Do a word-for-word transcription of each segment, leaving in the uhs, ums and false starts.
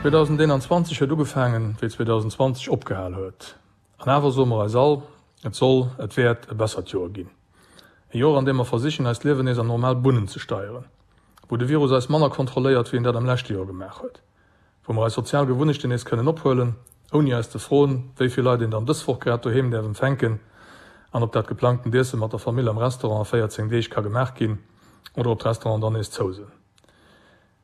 zweedausendeenanzwanzeg huet ugefaangen, wéi zweedausendzwanzeg opgehal huet. An awer soe mer eis all, Et soll, et wäert e bessert Joer ginn. E Joer, an deem mer versichen, eist Liewen nees an normal Bunnen ze steieren. Wou de Virus eis manner kontrolléiert, wéi en dat am leschte Joer gemaach huet. Wou mer eis sozial Gewunnechten nees kënnen ophuelen, ouni eis ze froen, wéi vill Leit een dann dës Woch grad doheem däerf empfänken an ob dat geplangtent Iesse mat der Famill am Restaurant a véierzéng Deeg ka gemaach ginn oder ob d'Restauranten dann nees zou sinn.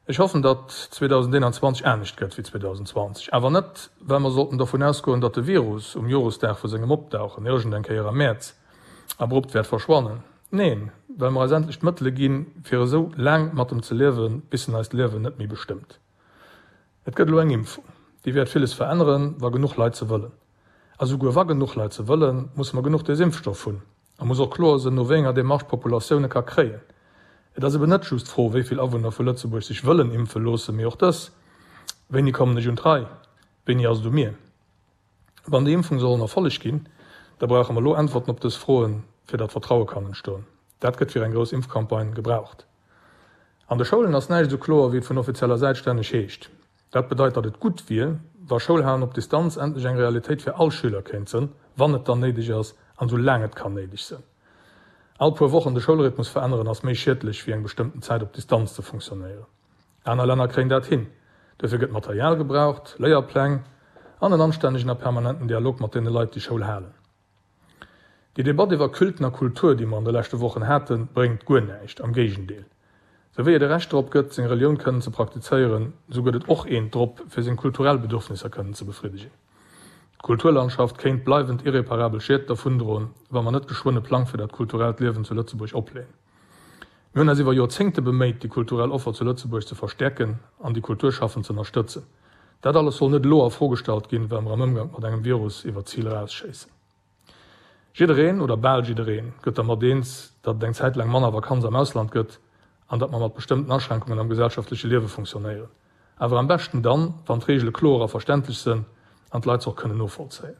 Ech hoffen, datt zweedausendeenanzwanzeg anescht gëtt wéi zweedausendzwanzeg. Awer net, well mer sollten dovun ausgoen, datt de Virus um Joresdag vu sengem Opdauchen, iergend eng Kéier am Mäerz, abrupt wäert verschwannen. Neen, well mer eis endlech d'Mëttele ginn, fir esou laang mat em ze liewen, bis en eist Liewen net méi bestëmmt. Et gëtt elo eng Impfung. Déi wäert villes veränneren, wa genuch Leit se wëllen. A souguer wa genuch Leit se wëllen, musse mer genuch Desimpfstoff hunn. A muss och kloer sënn, no wéi enger Demarche d'Populatioun e ka kréien. Et ass eben net just d'Fro, wéi vill Awunner vu Lëtzebuerg sech wëllen impfe loossen, mee och dës, Wéini kommen ech un d'Rei? Wéini ass et u mir? Wann déi Impfung soll en Erfolleg ginn, da brauche mer elo Äntwerten op dës Froen, fir datt Vertraue kann entstoen. Dat gëtt fir eng grouss Impfcampagne gebraucht. An de Schoulen ass näischt esou kloer, wéi et vun offizieller Säit stänneg heescht. Dat bedeit, datt et gutt wier, wa Schoulhalen op Distanz endlech eng Realitéit fir all Schüler kéint sënn, wann et dann néideg ass an esou laang et kann néideg sënn. All puer Wochen de Schoulrhythmus veränneren ass méi schiedlech wéi eng bestëmmten Zäit op Distanz ze funktionéieren. Aner Länner kréien dat hin. Duerfir gëtt Material gebraucht, Léierpläng an en anstännegen a permanenten Dialog mat deene Leit déi Schoul halen. Déi Debatt iwwer Culten a Kultur déi mer an de leschte Wochen haten, bréngt guer näischt, am Géigendeel. Sou wéi et e Recht drop gëtt seng Relioun kënnen ze praktizéieren, sou gëtt et och eent drop fir seng kulturell Bedürfnisser kënnen ze befriddegen. D'Kulturlandschaft kéint bleiwend irreparabel Schied dervundroen, wa mer net geschwënn e Plang fir dat kulturellt Liewen zu Lëtzebuerg opleeën. Mir hunn eis iwwer Joerzéngte beméit, déi kulturell Offer zu Lëtzebuerg ze verstäerken an déi Kulturschaffend z'ënnerstëtzen. Dat alles soll net elo a Fro gestallt ginn, well mer am Ëmgank mat engem Virus iwwer d'Zil erausschéissen. Jiddereen, oder bal jiddereen, gëtt dermat eens, datt et eng Zäit laang manner Vakanz am Ausland gëtt an datt mer mat bestëmmten Aschränkungen am gesellschaftleche Liewe funktionéieren. Awer am beschten dann, wann d'Reegele kloer a verständlech sënn an d'Leit se och kënnen novollzéien.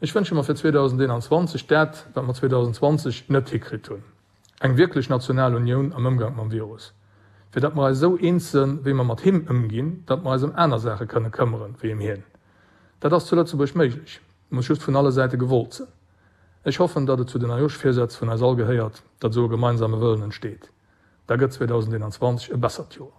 Ech wënsche mer fir zweedausendeenanzwanzeg dat, wat mer zweedausendzwanzeg net hikritt hunn, eng wierklech national Unioun am Ëmgank mam Virus, fir datt mer eis esou eens sënn, wéi mer mat him ëmginn, datt mer eis ëm aner Saache kënne këmmeren, wéi ëm hien. Dat ass zu Lëtzebuerg méiglech, muss just vun alle Säite gewollt sënn. Ech hoffen, datt et zu den Neijooschvirsätz vun eis all gehéiert, datt esou e gemeinsame Wëllen entsteet. Da gëtt zweedausendeenanzwanzeg e bessert Joer.